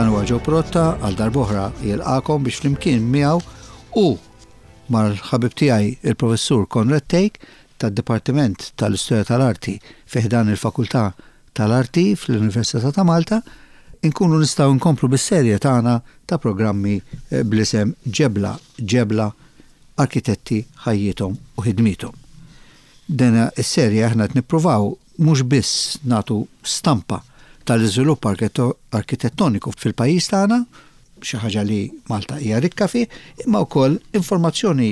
Dan huwa Joe Protta għal darb'oħra jilqakom biex flimkien miegħu u mal-ħabib tiegħi il-Professur Konrad Thake tad-Dipartiment tal-Istorja tal-Arti fi ħdan il-Fakultà tal-Arti fl-Università ta' Malta, inkunu nistgħu nkomplu bis-serje tagħna ta' programmi bl-isem Ġebla Ġebla, Arkitetti, Ħajjithom u Ħidmiethom. Din is-serje aħna qed nippruvaw mhux biss nagħtu stampa tal-iżvilupp arkitettoniku fil-pajjiż tagħna, xi ħaġa li Malta hija rikka fih, imma wkoll informazzjoni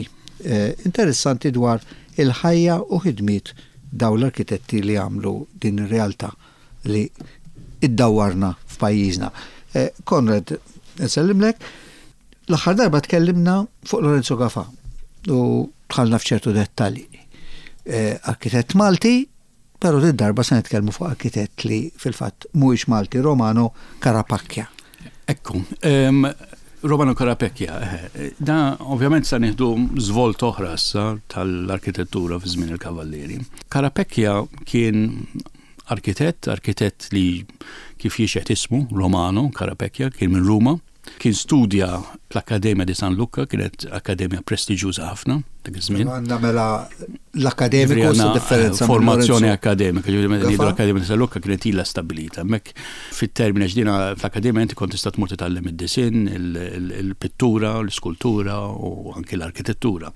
interessanti dwar il-ħajja u ħidmiet dawn l-arkitetti li għamlu din ir-realtà li iddawwarna f'pajjiżna. Konrad, nsellimlek. L-aħħar darba tkellimna fuq Lorenzo Gafà u dħalna f'ċertu dettalji. Arkitett Malti, però din darba se nitkellmu fuq arkitett li fil-fatt mhuwiex Malti, Romano Carapacchia. Ekku, Romano Carapecchia, da ovvjament sa nieħdu żvolt oħra issa tal-arkitettura fi żmien il-Kavallieri. Carapecchia kien arkitett, arkitett li kif jixhed ismu, Romano Carapecchia, kien minn Ruma. Kien studja fl-Akkademja di San Luca, kienet akkademja prestiġjuża ħafna dak iż-żmien. Għandna mela l-akkademiku sa differenza. Formazzjoni akkademika, ġifieri meta ngħidu l-Akkademja di San Luca kienet ilha stabbilita. Hemmhekk fit-termini għax dina fl-akkademja inti kont tista' tmur titgħallem id-disinn, il-pittura, l-iskultura u anki l-arkitettura.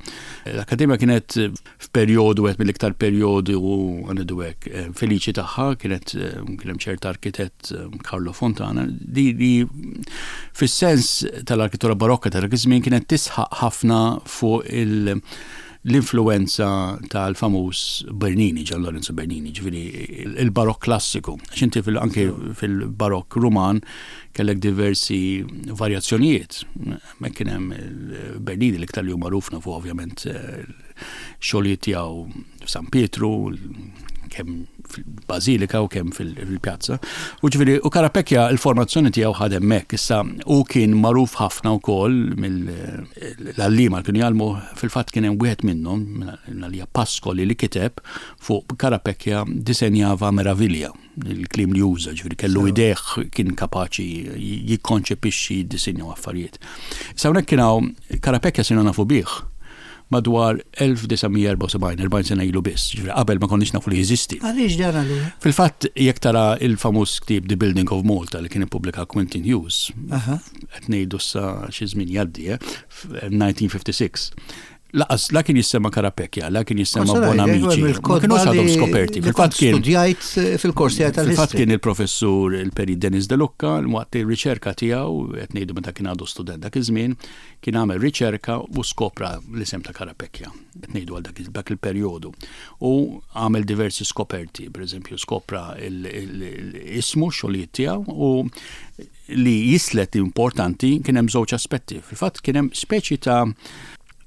L-akkademja kienet f'perjodu wieħed mill-iktar perjodi u ngħidu hekk eh, feliċi tagħha kienet eh, kien hemm ċert arkitett eh, Carlo Fontana li, li fis-sens tal-arkitettura barokka ta' dak iż-żmien kienet tisħaq ħafna fuq il- l-influenza tal-famuż Bernini, Gian Lorenzo Bernini, ġifieri il-barokk klassiku. Għax inti anke fil-barokk Ruman kellek diversi varjazzjonijiet. Hemmhekk kien hemm Bernini l-iktar li hu magħruf nafu ovvjament xogħlijiet tiegħu f'San Pietru, kemm fil-Bażilika u kemm fil-pjazza. U ġifieri u Carapecchia l-formazzjoni tiegħu ħad hemmhekk. Issa hu kien magħruf ħafna wkoll mill-għalliema li kienu jgħallmu fil-fatt kien hemm wieħed minnhom għalija Pascoli li kiteb fuq Carapecchia disenjava meravilja. il-kliem li juża, ġifieri kellu idejh kien kapaċi jikkonċepixxi jiddisinja affarijiet. Issa hawnhekk kien hawn Carapecchia sirna nafu bih madwar 1974, 40 sena ilu biss, ġifieri qabel ma konniex nafu li jeżisti. Għaliex dan allura? Fil-fatt jekk tara il-famuż ktieb The Building of Malta li kien ippubblika Quentin Hughes, qed ngħidu sa xi żmien jgħaddi, 1956. Laqas la kien jissemma Carapecchia, la kien jissemma Bonamici. Ma kienux għadhom skoperti. Fil-fatt kien. Studjajt eh, fil-kors tiegħi tal Fil-fatt kien il-professur il-Peri Denis De Lucca, waqt ir-riċerka tiegħu, qed ngħidu meta kien għadu student dak iż-żmien, kien għamel riċerka u skopra l-isem ta' Carapecchia, qed ngħidu għal dak il-perjodu. U għamel diversi skoperti, pereżempju skopra l-ismu xogħlijiet tiegħu u li jislet importanti kien hemm żewġ aspetti. Fil-fatt kien hemm speċi ta'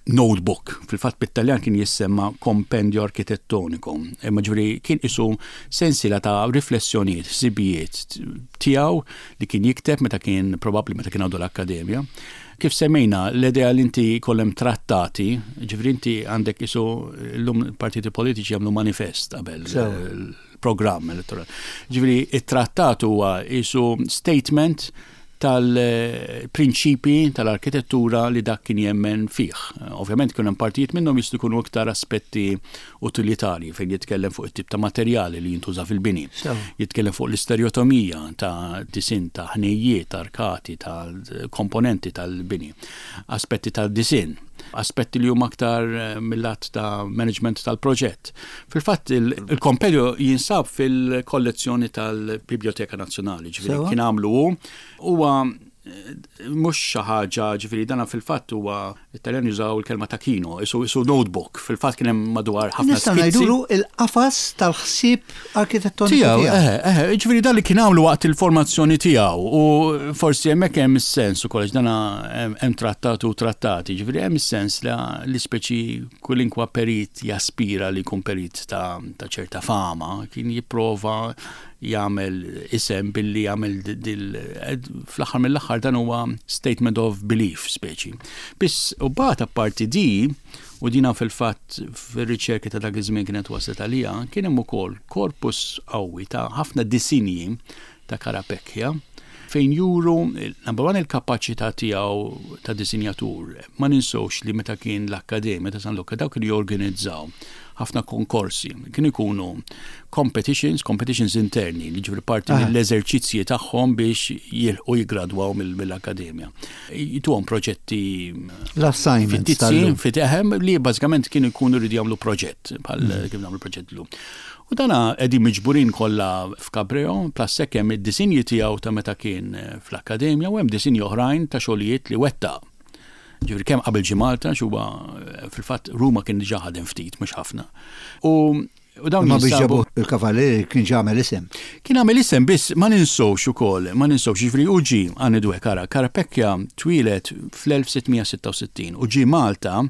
notebook, fil-fatt bit-Taljan kien jissemma compendio architettonico, imma ġifieri kien isu sensiela ta' riflessjonijiet, ħsibijiet tiegħu li kien jikteb meta kien probabbli meta kien għadu l-akkademja. Kif semmejna, l-idea li inti jkollem trattati, ġifieri inti għandek isu llum partiti politiċi jagħmlu manifest qabel programm elettorali. Ġifieri it-trattat huwa isu statement tal-prinċipi tal-arkitettura li dak kien jemmen fih. Ovvjament kien hemm partijiet minnhom jistgħu jkunu iktar aspetti utilitarji fejn jitkellem fuq it-tip ta' materjali li jintuża fil-bini. Jitkellem fuq l-istereotomija ta' disinn ta' ħnejjiet, arkati, ta' komponenti tal-bini. Aspetti ta' disinn aspetti li huma aktar eh, mill-att ta' management tal-proġett. Fil-fatt il-kompedju jinsab fil-kollezzjoni tal-Biblioteka Nazzjonali, ġifieri kien għamlu hu huwa eh, mhux xi ħaġa ġifieri dana fil-fatt huwa it-Taljan jużaw il-kelma tacchino, isu isu notebook, fil-fatt kien hemm madwar ħafna Nistgħu ngħidulu il-qafas tal-ħsieb arkitettoniku tiegħu. Eh, eh, ġifieri dan li kien għamlu waqt il-formazzjoni tiegħu u forsi hemmhekk hemm is-sens ukoll għax dana hemm trattat u trattati, ġifieri hemm is-sens li l-ispeċi Kulinkwa perit jaspira li jkun perit ta' ċerta fama, kien jipprova jagħmel isem billi jagħmel dil fl-aħħar mill-aħħar dan huwa statement of belief speċi. Biss u bagħad apparti di, u dina fil-fatt fir-riċerki ta' dak iż-żmien kienet waslet għalija, kien hemm ukoll korpus qawwi ta' ħafna disinji ta' Carapecchia. Fejn juru, number one, il-kapaċità tiegħu ta' disinjatur. Ma ninsewx li meta kien l-Akkademja ta' San Luca dawk kienu jorganizzaw ħafna konkorsi. Kienu jkunu competitions, competitions interni, li ġifri parti mill-eżerċizzji tagħhom biex jilħqu jiggradwaw mill-akkademja. Jituhom proġetti l-assignments fit li bażikament kienu jkunu rridu jagħmlu proġett bħal mm. kif nagħmlu proġett llum. U dana qegħdin miġburin kollha f'Cabreo, plus hekk hemm id-disinji tiegħu ta' meta kien fl-akkademja u hemm disinji oħrajn ta' xogħlijiet li wettaq. Ġifieri kemm qabel ġie Malta, huwa fil-fatt Ruma kien diġà ħadem ftit, mhux ħafna. U U dawn Ma biex ġabu il-kavallieri kien ġa għamel isem. Kien għamel isem biss ma ninsewx ukoll, ma ninsewx ġifieri u ġie għanidu hekk ara, Carapecchia twieled fl-1666 u ġie Malta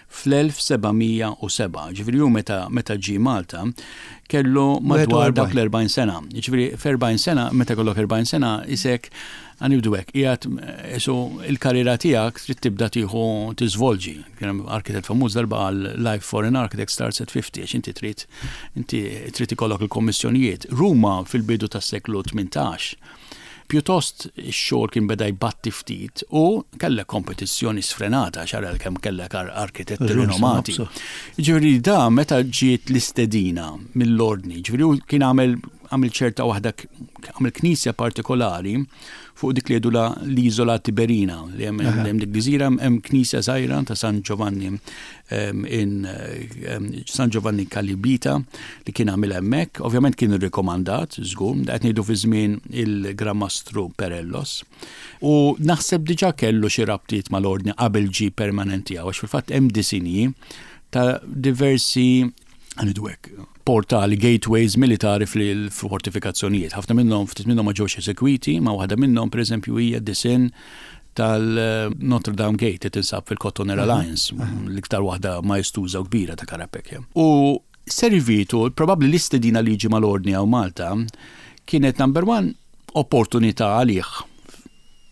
fl-1707, ġifieri hu meta meta ġie Malta kellu madwar dak l-40 sena. Ġifieri f'40 sena, meta jkollok 40 sena isek għanibdu hekk, qiegħed isu il-karriera tiegħek trid tibda tieħu tiżvolġi. Kien hemm arkitett famuż darba qal life for an architect starts at 50 għax inti trid inti trid ikollok il-kommissjonijiet. Ruma fil-bidu tas-seklu 18 Pjutost ix-xogħol kien beda jbatti ftit u kellek kompetizzjoni sfrenata għax ara kemm kellek arkitetti rinomati. Ġifieri da meta ġiet l-istedina mill-ordni, ġifieri hu kien għamel għamel ċerta waħda għamel knisja partikolari fuq dik li jgħidulha l-Iżola Tiberina li hemm dik gżira hemm knisja żgħira ta' San Giovanni in San Giovanni Calibita li kien għamil hemmhekk, ovvjament kien irrikomandat, żgur, qed ngħidu fi żmien il-Gran Mastru Perellos. U naħseb diġà kellu xi rabtiet mal-ordni qabel ġie permanenti għax fil-fatt hemm disinji ta' diversi għanidu hekk, portali, gateways militari fil-fortifikazzjonijiet. Ħafna minnhom, ftit minnhom ma ġewx eżekwiti, ma waħda minnhom pereżempju hija disin tal-Notre Dame Gate li tinsab fil-Cotton Alliance, l-iktar waħda maestuża u kbira ta' Carapecchia. U servitu, probabbli l-istedina li ġie mal-ordni hawn Malta kienet number one opportunità għalih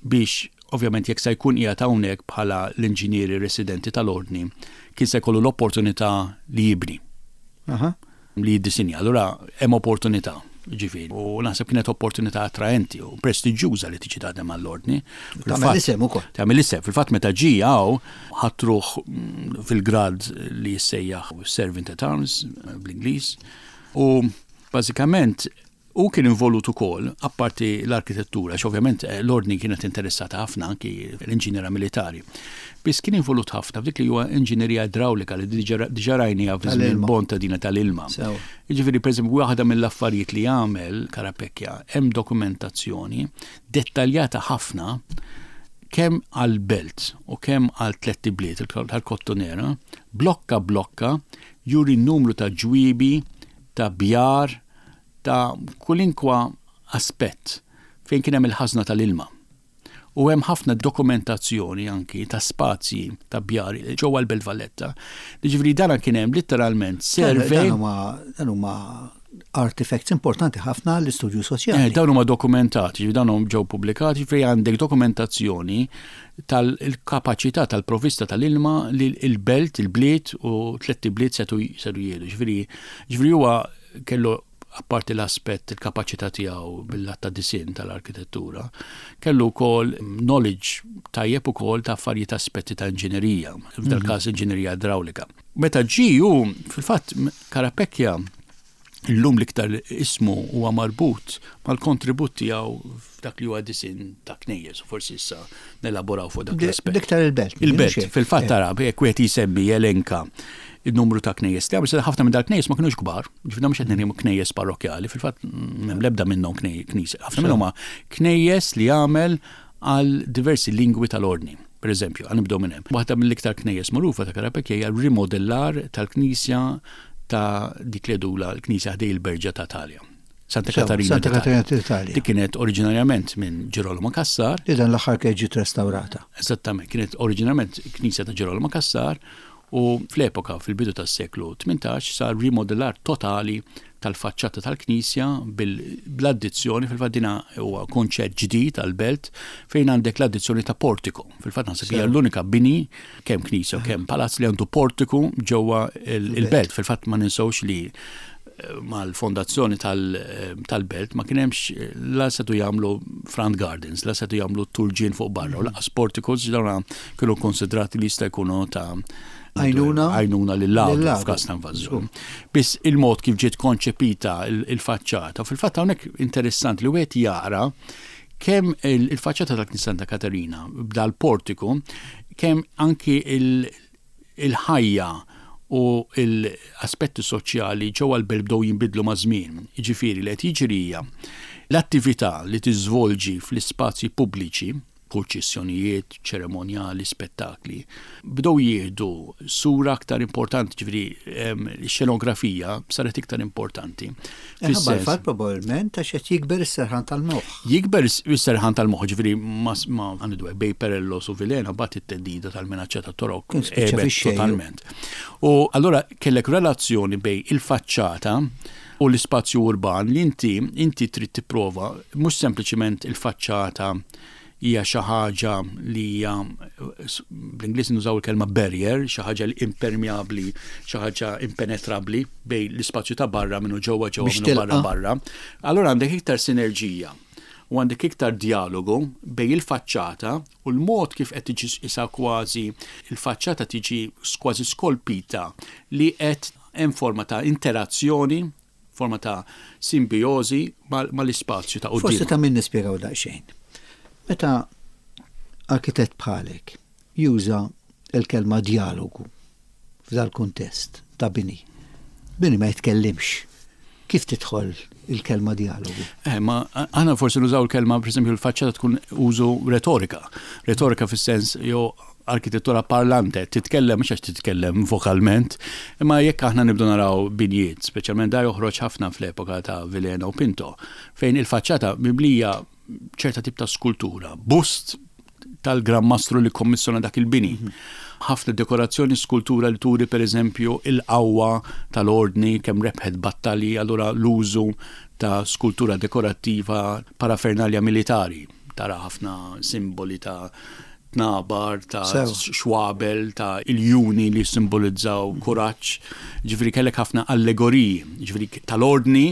biex ovvjament jekk se jkun qiegħed hawnhekk bħala l-inġinieri residenti tal-ordni, kien se jkollu l-opportunità li jibni. Li jiddisinja. Allura hemm opportunità, ġifieri. U naħseb kienet opportunità attraenti u prestiġjuża li tiġi taħdem għall-ordni. Tagħmel isem ukoll. Tagħmel isem. Fil-fatt meta ġie hawn ħatruh fil-grad li jissejjaħ Servant at Arms bl-Ingliż. U bażikament Hu kien involut ukoll, apparti l-arkitettura, għax ovvjament l-Ordni kienet interessata ħafna anki l-inġiniera militari. Biss kien involut ħafna f'dik li huwa inġinerija idrawlika li diġà rajniha fi żmien Bontadina tal-ilma. Jiġifieri pereżempju waħda mill-affarijiet li għamel Carapecchia hemm dokumentazzjoni dettaljata ħafna kemm għall-belt u kemm għal tlett ibliet tal-Kottonera, blokka blokka juri n-numru ta' ġwiebi, ta' bjar, ta' kulinkwa aspett fejn kien hemm il-ħażna tal-ilma. U hemm ħafna dokumentazzjoni anki ta' spazji ta' bjar ġewwa l-Belt Valletta. Jiġifieri dan kien hemm litteralment survey. Dan huma artifacts importanti ħafna għall-istudju soċjali. Eh, dawn huma dokumentati, ġifieri dawn ġew pubblikati fejn għandek dokumentazzjoni tal-kapaċità tal-provvista tal-ilma li l-belt, il-bliet u tlett ibliet setu jieħdu. Ġifieri Ġifieri huwa kellu apparti l-aspett il-kapaċità tiegħu bil-lat ta' disinn tal-arkitettura, kellu wkoll knowledge tajjeb ukoll ta' affarijiet aspetti ta' inġinerija, f'dal mhm. każ inġinerija idrawlika. Meta ġie hu fil-fatt Carapecchia illum l-iktar ismu huwa marbut mal-kontribut tiegħu f'dak li huwa disinn ta' knejjes, u forsi issa nelaboraw fuq dak l-aspett. L-iktar il-belt. Il-belt, fil-fatt eh. tara, jekk wieħed jisemmi jelenka il-numru ta' knejjes li għamil, ħafna minn dal-knejjes ma kinux kbar, ġifieri mhux qed ngħidu knejjes parrokkjali, fil-fatt m'hemm l-ebda minnhom knisja. Ħafna minnhom huma knejjes li għamel għal diversi lingwi tal-ordni. Per eżempju, għan nibdew minn hemm. Waħda mill-iktar knejjes magħrufa ta' Karapekja hija rimodellar tal-knisja ta' dik li jgħidulha l-knisja ħdej il-Berġa ta' Talja. Santa Katarina. Santa Katarina d'Italja. Dik kienet oriġinarjament minn Ġirolamo Cassar. Li dan l-aħħar kienet ġiet restaurata. Eżattament, kienet oriġinarjament knisja ta' Ġirolamo Cassar u fl-epoka fil-bidu tas-seklu 18 sar rimodellar totali tal-faċċata tal-knisja bl-addizzjoni, fil-fatt dina huwa konċett ġdid għall-belt fejn għandek l-addizzjoni ta' portiku. Fil-fatt naħseb hija l-unika bini kemm knisja u kemm palazz li għandu portiku ġewwa il-belt. Fil-fatt ma ninsewx li mal-fondazzjoni tal-belt ma kien hemmx la setu jagħmlu front gardens, la setu jagħmlu turġien fuq barra u lanqas porticos dawn kienu konsidrati li jista' jkunu ta' għajnuna għajnuna lill-għadu f'każ ta' invażjoni. Biss il-mod kif ġiet konċepita il-faċċata, fil-fatt hawnhekk interessanti li wieħed jara kemm il-faċċata tal-Knisja Santa Katerina b'dal-portiku, kemm anki il-ħajja u l-aspetti soċjali ġewwa l-belt bdew jinbidlu maż-żmien. Jiġifieri li qed jiġri hija l-attività li tiżvolġi fl-ispazji pubbliċi, purċissjonijiet, ċeremonjali, spettakli, bdew jieħdu sura aktar importanti, ġifieri x-xenografija saret iktar importanti. Minħabba l-fatt probabbilment għax qed jikber is-serħan tal-moħħ. Jikber is-serħan tal-moħħ, ġifieri ma għandu bej Perellos u Vilhena bagħad it-theddida tal-minaċċa tat-Torok għebet totalment. U allura kellek relazzjoni bej il-faċċata u l-ispazju urban li inti inti trid tipprova mhux sempliċiment il-faċċata hija xi ħaġa li hija bl-Ingliż nużaw il-kelma barrier, xi ħaġa li impermeabbli, xi ħaġa impenetrabbli bejn l-ispazju ta' barra minnu ġewwa ġewwa minnu barra barra. Allura għandek iktar sinerġija u għandek iktar djalogu bejn il-faċċata u l-mod kif qed tiġi isa kważi il-faċċata tiġi kważi skolpita li qed hemm forma ta' interazzjoni forma ta' simbijożi mal-ispazju ta' quddiem. Forsi ta' min nispjegaw daqsxejn. Meta arkitett bħalek juża l-kelma djalogu f'dal-kuntest ta' bini, bini ma jitkellimx. Kif tidħol il-kelma djalogu? Eh, ma aħna forsi nużaw il-kelma, per esempio, l-faċċata tkun użu retorika. Retorika fis-sens jew arkitettura parlante, titkellem mhux għax titkellem vokalment, imma jekk aħna nibdu naraw binjiet, speċjalment da joħroġ ħafna fl-epoka ta' Vilhena u Pinto, fejn il-faċċata mimlija ċerta tip ta' skultura, bust tal-Gran Mastru li kommissjona dak il-bini. Ħafna dekorazzjoni skultura li turi pereżempju il-qawwa tal-ordni kemm rebħet battalji, allura l-użu ta' skultura dekorattiva parafernalja militari. Tara ħafna simboli ta' tnabar, ta' xwabel, ta' iljuni li jissimbolizzaw kuraġġ. Ġifieri kellek ħafna allegoriji, ġifieri tal-ordni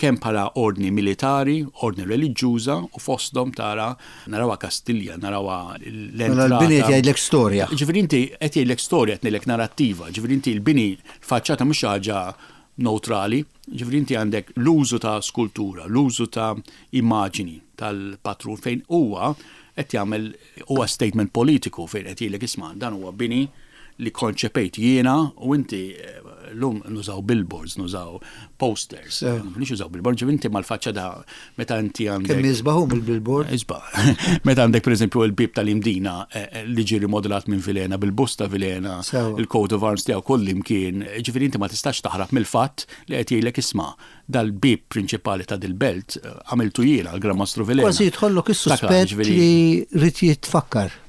kemm bħala ordni militari, ordni reliġjuża u fosthom tara narawha Kastilja, narawha l-entrata. Mela l-bini qed jgħidlek storja. Ġifieri inti qed jgħidlek storja, qed ngħidlek narrattiva, ġifieri inti l-bini l-faċċata mhux xi ħaġa newtrali, ġifieri inti għandek l-użu ta' skultura, l-użu ta' immaġini tal-patrun fejn huwa qed jagħmel huwa statement politiku fejn qed jgħidlek isma' dan huwa bini li konċepejt jiena u inti eh, llum nużaw billboards, nużaw posters. Mhux użaw billboards, ġifieri inti mal-faċċa da meta inti għandek. Kemm jisbaħu mill-billboard? Isbaħ. Meta għandek pereżempju l-bib tal-Imdina eh, eh, li ġie rimodelat minn Vilena bil-busta Vilena, il-coat of arms tiegħu kull imkien, ġifieri inti ma tistax taħrab mill-fatt li qed jgħidlek isma' dal-bieb prinċipali ta' dil-belt għamiltu jiena l-Gran Mastru Vilhena. Kważi jidħollok is-suspett li rrid jitfakkar.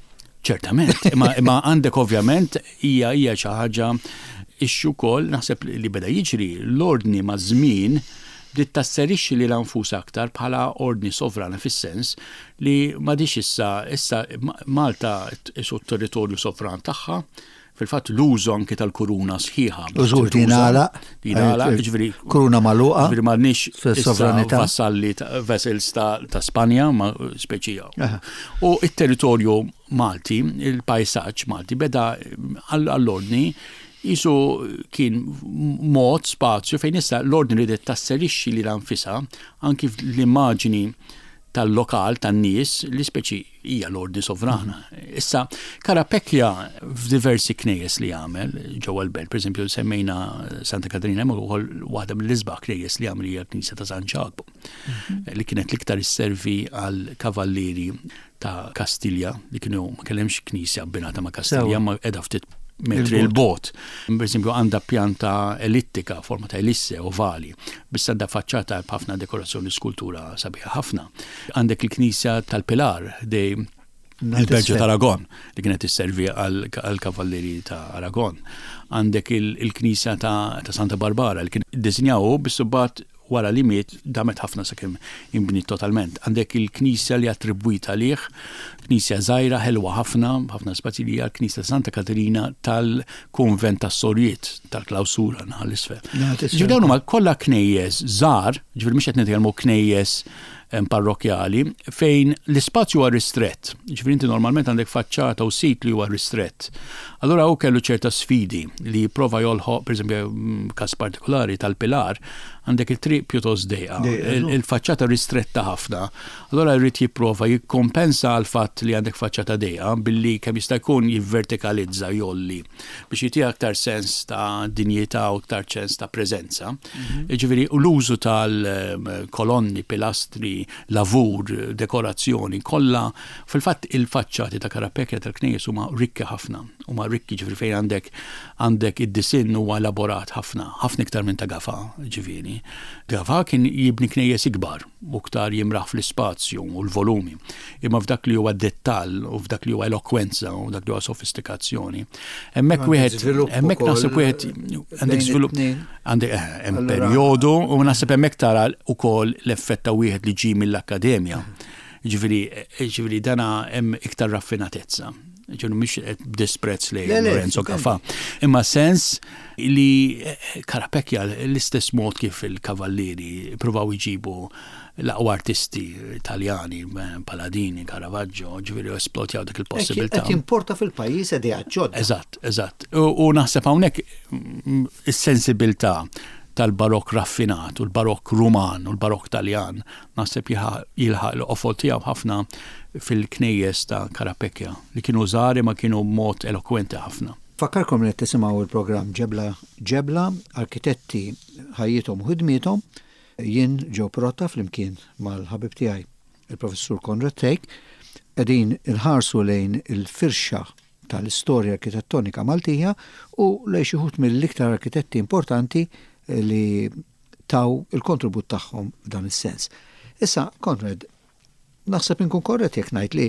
Ċertament, imma għandek ovvjament hija hija xi ħaġa ixxu wkoll naħseb li beda jiġri l-ordni maż-żmien bdiet tasserixxi lilha nfusha aktar bħala ordni sovrana fis-sens li m'għadhiex issa issa Malta isu t-territorju sovran tagħha Fil-fatt l-użu anki tal-kuruna sħiħa. U żgur li jingħalaq. Jingħalaq, jiġifieri. Kuruna magħluqa. Jiġifieri m'għandniex sovranità. Vassalli vessels ta' Spanja, ma speċi. U it-territorju Malti, il-pajsaġġ Malti beda għall-ordni jisu kien mod spazju fejn issa l-ordni ridet tasserixxi lilha nfisha anki l-immaġini tal-lokal tan-nies li speċi hija l-ordni sovrana. Issa, Carapecchia f'diversi knejjes li għamel ġewwa l-belt, pereżempju semmejna Santa Katarina, hemm ukoll waħda mill-isbaħ knejjes li għamel hija l-Knisja ta' San Ġakbu, mhm. li kienet l-iktar isservi għal kavallieri ta' Kastilja li kienu ma kellemx knisja abbinata ma' Kastilja ma qiegħda ftit metri l-bot. Per esempio għandha pjanta ellittika, forma ta' elisse ovali, biss għandha faċċata b'ħafna dekorazzjoni skultura sabiħa ħafna. Għandek il-knisja tal-Pilar dej il-Berġa ta' Aragon li kienet isservi għal-kavallieri ta' Aragon. Għandek il-knisja ta' Santa Barbara li kien iddisinjaw biss imbagħad wara li miet damet ħafna sakemm inbniet totalment. Għandek il-knisja li attribwita għalih, knisja żgħira ħelwa ħafna, b'ħafna spazji li hija l-knisja ta' Santa Katerina tal-kunvent tas-Sorjiet tal-klawsura naħa l-isfel. Ġifieri dawn huma kollha knejjes żgħar, ġifieri mhux qed nitkellmu knejjes parrokjali fejn l-ispazju huwa ristrett. Ġifieri inti normalment għandek faċċata u sit li huwa ristrett. Allura hu kellu ċerta sfidi li jipprova jolħoq, pereżempju każ partikolari tal-Pilar, għandek it-triq pjuttost dejqa, il-faċċata ristretta ħafna. Allura jrid jipprova jikkompensa għall-fatt li għandek faċċata dejqa billi kemm jista' jkun jivvertikalizza, jgħolli biex jitiha aktar sens ta' dinjità u aktar sens ta' preżenza. Jiġifieri l-użu tal-kolonni, pilastri, lavur, dekorazzjoni, kollha fil-fatt il-faċċati ta' Carapecchia tal-knejjes huma rikki ħafna. Huma rikki ġifieri fejn għandek għandek id-disinn huwa elaborat ħafna, ħafna iktar minn ta' Gafà, ġifieri. Gafà kien jibni knejjes ikbar u iktar jimraħ fl-ispazju u l-volumi. Imma f'dak li huwa dettall u f'dak li huwa elokwenza u dak li huwa sofistikazzjoni. Hemmhekk wieħed hemmhekk naħseb wieħed għandek żvilupp għandek eh, hemm perjodu u naħseb hemmhekk tara wkoll l-effett ta' wieħed li ġie mill-akkademja. Ġifieri ġifieri dana hemm iktar raffinatezza. Ġifieri mhix qed b'disprezz li Lorenzo Gafà. Imma sens li eh, Carapecchia l-istess mod kif il-Kavallieri pruvaw iġibu l-aqwa artisti Taljani, Paladini, Caravaggio, ġifieri esplotjaw dik il-possibilità. Qed jimporta fil-pajjiż ideat ġodda. Eżatt, eżatt. U naħseb hawnhekk is-sensibilità tal-barokk raffinat u l-barokk Ruman u l-barokk Taljan naħseb jilħaq l-qofol tiegħu ħafna fil-knejjes ta' Carapecchia li kienu żgħar imma kienu b'mod elokwenti ħafna. Nfakkarkom li qed tisimgħu l-programm Ġebla Ġebla, Arkitetti Ħajjithom u Ħidmiethom. Jien Joe Pirotta flimkien mal-ħabib tiegħi il-Professur Konrad Thake qegħdin inħarsu lejn il-firxa tal-istorja arkitettonika Maltija u lejn xi wħud mill-iktar arkitetti importanti li taw il-kontribut tagħhom f'dan is-sens. Issa, Konrad, Naħseb inkun korrett jekk ngħid li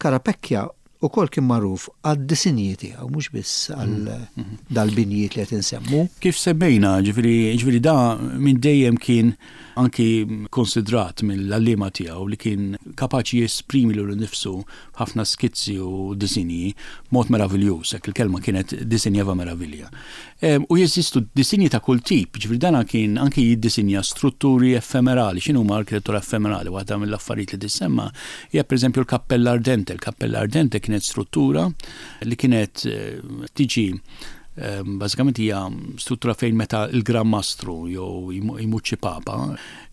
Carapecchia ukoll kien magħruf għad-disinji tiegħu mhux biss għal mhm. dal-binjiet li qed insemmu. Kif semmejna, ġifieri ġifieri da minn dejjem kien anki konsidrat mill-għalliema tiegħu li kien kapaċi jesprimi lilu nnifsu f'ħafna skizzi u disinji b'mod meraviljuż, hekk il-kelma kienet disinjeva meravilja. U jeżistu disinji ta' kull tip, ġifieri dana kien anki jiddisinja strutturi effemerali. X'inhuma arkitettura effemerali? Waħda mill-affarijiet li tissemma hija pereżempju l-Kappella Ardente. Il-Kappella Ardente kienet struttura li kienet eh, tiġi bażikament hija struttura fejn meta l-Gran Mastru jew jmut xi papa,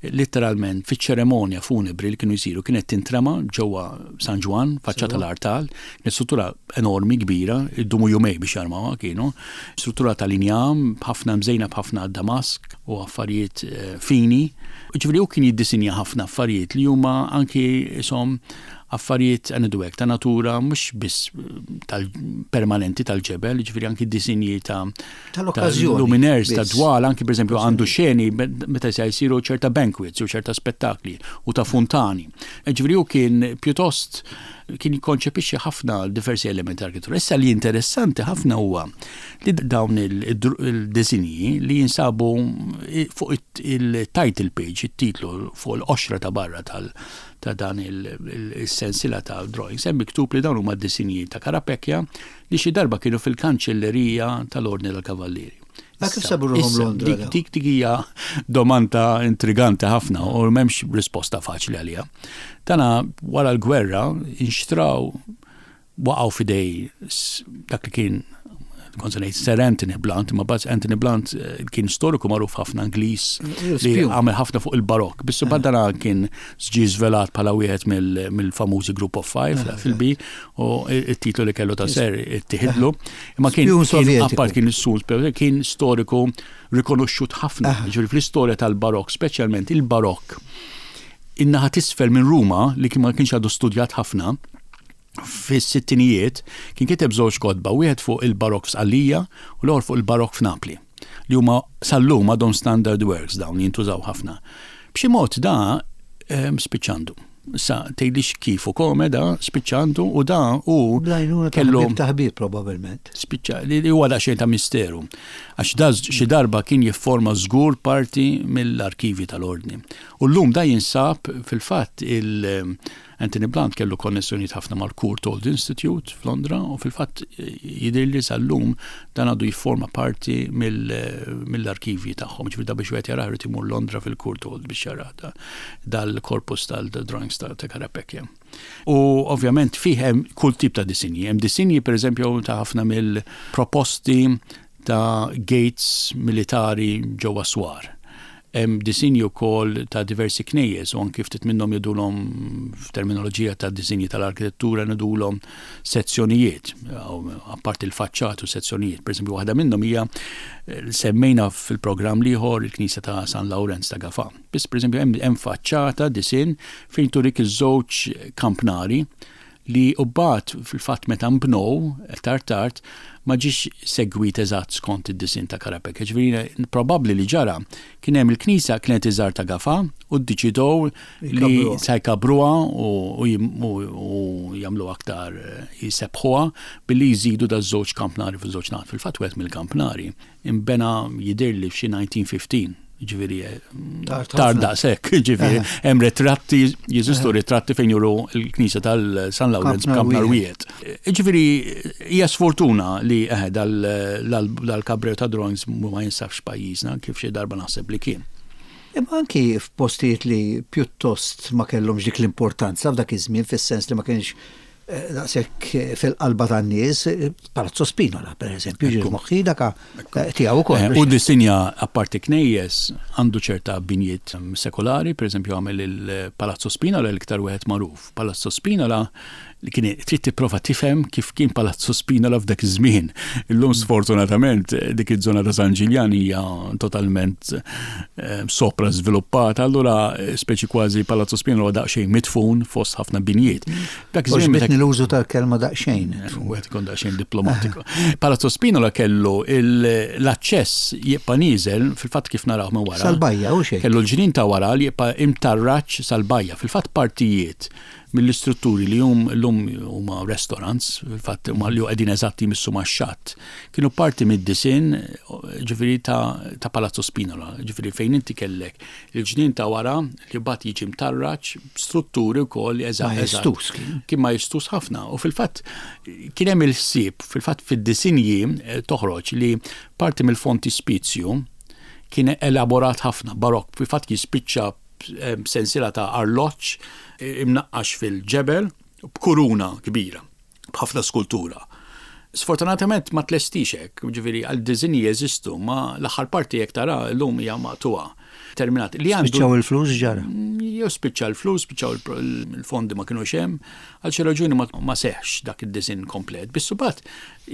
Litteralment, fiċ-ċeremonja funebri li kienu jsiru kienet tintrema ġewwa San Ġwann, faċċata l-artal, kienet struttura enormi, kbira, idumu jumej biex jarmawha kienu, struttura tal-injam, b'ħafna mżejna b'ħafna damask u affarijiet fini. Jiġifieri hu kien jiddisinja ħafna affarijiet li huma anki ishom affarijiet ngħidu hekk ta' natura mhux biss tal-permanenti tal-ġebel, jiġifieri anki disinji ta' tal-okkażjoni. Luminaires ta' dwal, anki pereżempju għandu xeni meta se jsiru ċerta banquets u ċerta spettakli u ta' funtani. Ġifieri hu kien pjuttost kien jikkonċepixxi ħafna diversi elementi arkitettura. Issa li interessanti ħafna huwa li dawn il-disinji li jinsabu fuq il-title page, it-titlu fuq il-qoxra ta' barra tal ta' dan il-sensila ta' drawings, hemm miktub li dawn huma disinji ta' Carapecchia li xi darba kienu fil-kanċellerija tal-Ordni tal-Kavallieri. Ma kif sabu ruħhom Londra? Dik dik dik hija domanda intriganti ħafna u m'hemmx risposta faċli għaliha. Tana wara l-gwerra inxtraw waqgħu f'idej dak li kien kont se ngħid Sir Anthony Blunt, imma baz Anthony Blunt eh, kien storiku magħruf ħafna Ingliż li għamel ħafna fuq il-barokk. Biss eh. dana kien ġie żvelat bħala wieħed mill-famużi Group of Five eh, fil-bi u it-titlu li kellu ta' ser ittieħidlu. Imma kien appart kien is-sul kien storiku rikonoxxut ħafna. Ġifieri fl-istorja tal-barokk, speċjalment il-barokk, in-naħa t'isfel minn Ruma li kien ma kienx għadu studjat ħafna, fis-sittinijiet kien kiteb żewġ kotba, wieħed fuq il-barokk f'Sqallija u l-ieħor fuq il-barokk f'Napli, li huma sal-lum għadhom standard works dawn jintużaw ħafna. B'xi mod da ehm, spiċċandu. Sa tgħidlix kif u kome da spiċċa għandu u da u Bl-għajnuna ta' kellu ħbieb ta' ħbieb probabbilment. Spiċċa li huwa daqsxejn ta' misteru. Għax da xi darba kien jifforma żgur parti mill-arkivi tal-Ordni. U llum da jinsab fil-fatt il Anthony Blunt kellu konnessjonijiet ħafna mal-Courtauld Institute f'Londra u fil-fatt jidhirli sal-lum dan għadu jifforma parti mill-arkivji tagħhom. Ġifieri da biex wieħed jarah irid imur Londra fil-Courtauld biex jarah dal-korpus tal-drawings ta' Carapecchia. U ovvjament fih hemm kull tip ta' disinji. Hemm disinji pereżempju ta' ħafna mill-proposti ta' gates militari ġewwa swar. Hemm disinji wkoll ta' diversi knejjes u anki ftit minnhom jgħidulhom f'terminoloġija ta' disinji tal-arkitettura ngħidulhom sezzjonijiet, apparti l-faċċat u sezzjonijiet. Pereżempju waħda minnhom hija semmejna fil-programm l-ieħor il-Knisja ta' San Lawrenz ta' Gafà. Biss pereżempju hemm faċċata disinn fejn turik iż-żewġ kampnari li mbagħad fil-fatt meta nbnew aktar tard ma ġiex segwit eżatt skont id-disinn ta' Carapecchia. Ġifieri probabbli li ġara kien hemm il-knisja kienet iżgħar ta' Gafà u ddeċidew li se jkabbruha u jagħmluha aktar jsebbħuha billi jżidu daż-żewġ kampnari fuq żewġ naħat. Fil-fatt wieħed mill-kampnari Inbena jidhirli f'xi 1915, ġifieri tard daqshekk, ġifieri hemm ritratti, jeżistu ritratti fejn juru l-knisja tal-San Lawrenz b'kampnar wieħed. Ġifieri hija sfortuna li eh, dal-kabreo ta' drawings ma jinsabx pajjiżna kif xi darba naħseb li kien. Imma anki f'postijiet li pjuttost ma kellhomx dik l-importanza f'dak iż-żmien fis-sens li ma kienx Eh, daqshekk eh, fil-qalba tan-nies, eh, Palazzo Spinola, per eżempju, ġie moħħi daka tiegħu ukoll. U disinja apparti knejjes għandu ċerta binjiet mm, sekolari, per eżempju għamel il-Palazzo Spinola l-iktar wieħed magħruf. Palazzo Spinola li kien trid tipprova tifhem kif kien Palazzo Spinola f'dak iż-żmien. Illum sfortunatament dik iż-żona ta' San Ġiljan hija totalment sopra żviluppata, allura speċi kważi Palazzo Spinola daqsxejn mitfun fost ħafna binjiet. Dak iż-żmien meta l-użu tal-kelma daqsxejn. Wieħed ikun daqsxejn diplomatiku. Palazzo Spinola kellu l-aċċess jibqa' nieżel fil-fatt kif naraw minn wara. Sal-bajja u xejn. Kellu l-ġnien ta' wara li jibqa' imtarraġ sal-bajja. Fil-fatt partijiet mill-istrutturi li hum llum huma restaurants, fil-fatt huma li qegħdin eżatt jmissu max-xatt, kienu parti mid-disinn ġifieri ta' Palazzo Spinola, ġifieri fejn inti kellek Il-ġnien ta' wara li mbagħad jiġi mtarraġ b'strutturi wkoll eżatt. Majestuż kien. Kien majestuż ħafna u fil-fatt kien hemm il-ħsieb, fil-fatt fid-disinji eh, toħroġ li parti mill-fontispizju kien elaborat ħafna, barokk, fil-fatt jispiċċa eh, sensiela ta' arloġġ eh, imnaqqax fil-ġebel b'kuruna kbira. b'ħafna skultura. Sfortunatament ma tlestix hekk, ġifieri għal diżinji jeżistu, ma l-aħħar parti jekk tara llum hija maqtugħa. Terminat. Li għandu. Spiċċaw il-flus ġara. Jew spiċċa l-flus, spiċċaw il-fondi ma kinux hemm, għal xi raġuni ma seħx dak id-diżinn komplet. Biss imbagħad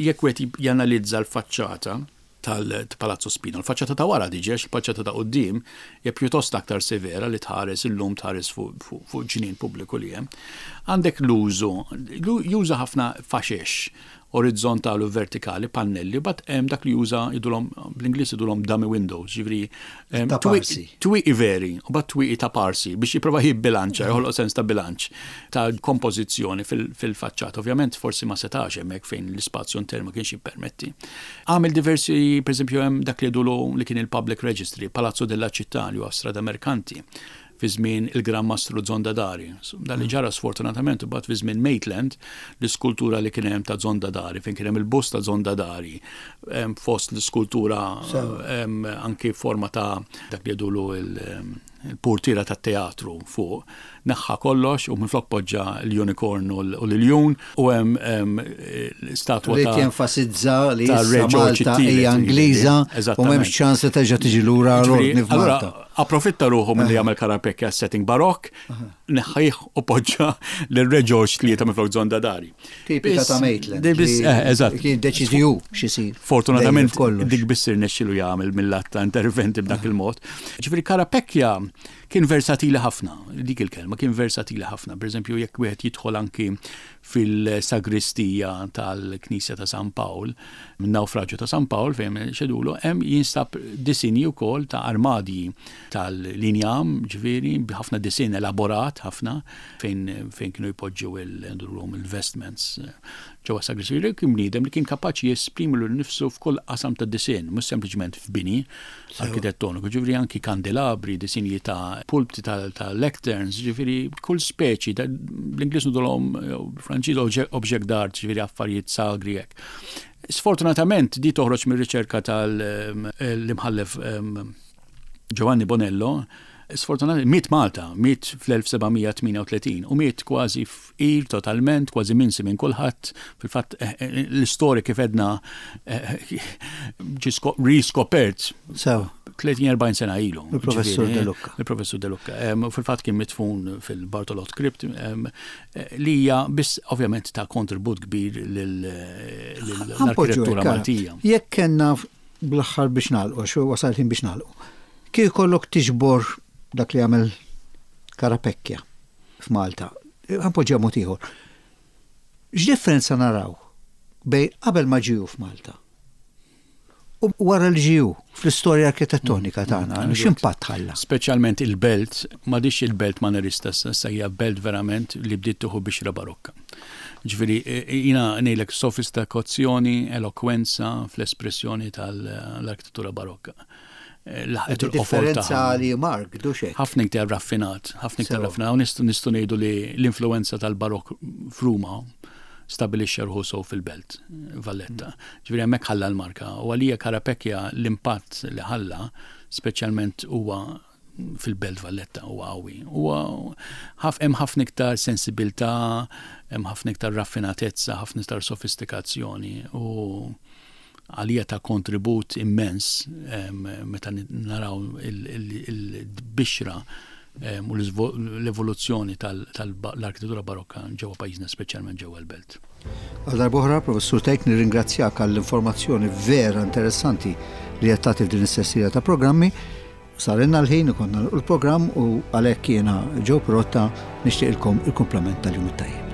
jekk wieħed janalizza l-faċċata, tal-Palazzo Spina. L-faċċata ta' wara diġi, għax il-faċċata ta' quddiem hija pjuttost aktar severa li tħares illum tħares fuq ġnien pubbliku li hemm. Għandek l-użu, juża ħafna faxex orizzontali u vertikali, pannelli, bat hemm dak li juża jidulhom bl-Ingliż jidulhom dummy windows, ġifieri twieqi veri, u bat twieqi ta' parsi biex jipprova jibbilanċa, joħloq sens ta' bilanċ ta' kompożizzjoni fil-faċċata. Ovvjament forsi ma setax hemmhekk fejn l-ispazju intern ma kienx jippermetti. Għamel diversi, per eżempju, hemm dak li jgħidulu li kien il-Public Registry, Palazzo della Città li huwa Strada Mercanti fi żmien il-Gran Mastru Zondadari. Dan li ġara sfortunatament imbagħad fi żmien Maitland, l-iskultura li kien hemm ta' Zondadari, fejn kien hemm il-bust ta' Zondadari, fost l-iskultura anki forma ta' dak li jgħidulu il-purtiera tat-teatru fuq, neħħa kollox u minflok poġġa l-unicorn u l-iljun u hemm statwa ta' Ried jenfasizza li issa Malta hija Ingliża u m'hemmx ċans li terġa' tiġi lura l-ordni f'Malta. Approfitta ruħu milli jagħmel Carapecchia setting barokk, neħħih u poġġa lil Re George tlieta minflok Zondadari. Tipika ta' Maitland. Eh, eżatt. Kien deċiżi hu x'isir. Fortunatament dik biss irnexxielu jagħmel mill-att ta' interventi b'dak il-mod. Ġifieri Carapecchia kien versatili ħafna, dik il-kelma, kien versatili ħafna. Per eżempju, jekk wieħed jidħol anki fil-sagristija tal-Knisja ta' San Pawl, min-nawfraġġju ta' San Pawl fejn xedulu, hemm jinstab disinji wkoll ta' armadji tal-injam, ġifieri, b'ħafna disinn elaborat ħafna fejn fejn kienu jpoġġu il-vestments ġewwa sagristrija. Kien bniedem li kien kapaċi jesprimi lilu nnifsu f'kull qasam ta' disinn, mhux sempliċement f'bini arkitettoniku, ġifieri anki kandelabri, disinji ta' pulpti ta' lecterns, ġifieri kull speċi, bl-Ingliż ngħidulhom b'Franċiż object d'art, ġifieri affarijiet sagri hekk. Sfortunatament di toħroġ mir-riċerka tal-imħallef Giovanni Bonello, sfortunatament miet Malta, miet fl-1738 u miet kważi fqir totalment, kważi minsi minn kulħadd. Fil-fatt eh, eh, l-istorja kif edna eh, ġi riskopert. Sew. 30-40 sena ilu. Il-professur De Lucca. Il-professur De Lucca. Fil-fatt kien mitfun fil-Bartolot Crypt li hija biss ovvjament ta' kontribut kbir lill-arkitettura Maltija. Jekk kellna bl-aħħar biex nagħlqu, għax wasal ħin biex nagħlqu. Kif kollok tiġbor dak li għamel Karapekja f'Malta, ħanpoġġiha mod ieħor. X'differenza naraw bejn qabel ma ġiju f'Malta u wara li ġiju fl-istorja arkitettonika tagħna, x'impatt ħalla? Speċjalment il-belt, m'għadix il-belt manerista issa hija belt verament li bdiet tieħu bixra barokka. Ġifieri jiena ngħidlek sofistikazzjoni, elokwenza fl-espressjoni tal-arkitettura barokka. Laħqet il-qofol Differenza li Mark, duxek. Ħafna iktar raffinat, ħafna iktar raffinat. U nistgħu ngħidu li l-influenza tal-barokk f'Ruma stabilixxa ruħu sew fil-belt, Valletta. Ġifieri hemmhekk ħalla l-marka. U għalija Carapecchia l-impatt li ħalla, speċjalment huwa fil-Belt Valletta huwa qawwi. Huwa hemm ħafna iktar sensibilità, hemm ħafna iktar raffinatezza, ħafna iktar sofistikazzjoni u għalija ta' kontribut immens meta naraw il-bixra u l-evoluzzjoni tal-arkitettura barokka ġewwa pajjiżna, speċjalment ġewwa l-belt. Għal darb'oħra, Professur Tejk, nirringrazzjak għall-informazzjoni vera interessanti li qed tagħti f'din is-sessija ta' programmi. Sarilna l-ħin ikollna nagħlqu l-programm u għalhekk jiena Joe Pirotta nixtieqilkom il-kumplament tal-jum it-tajjeb.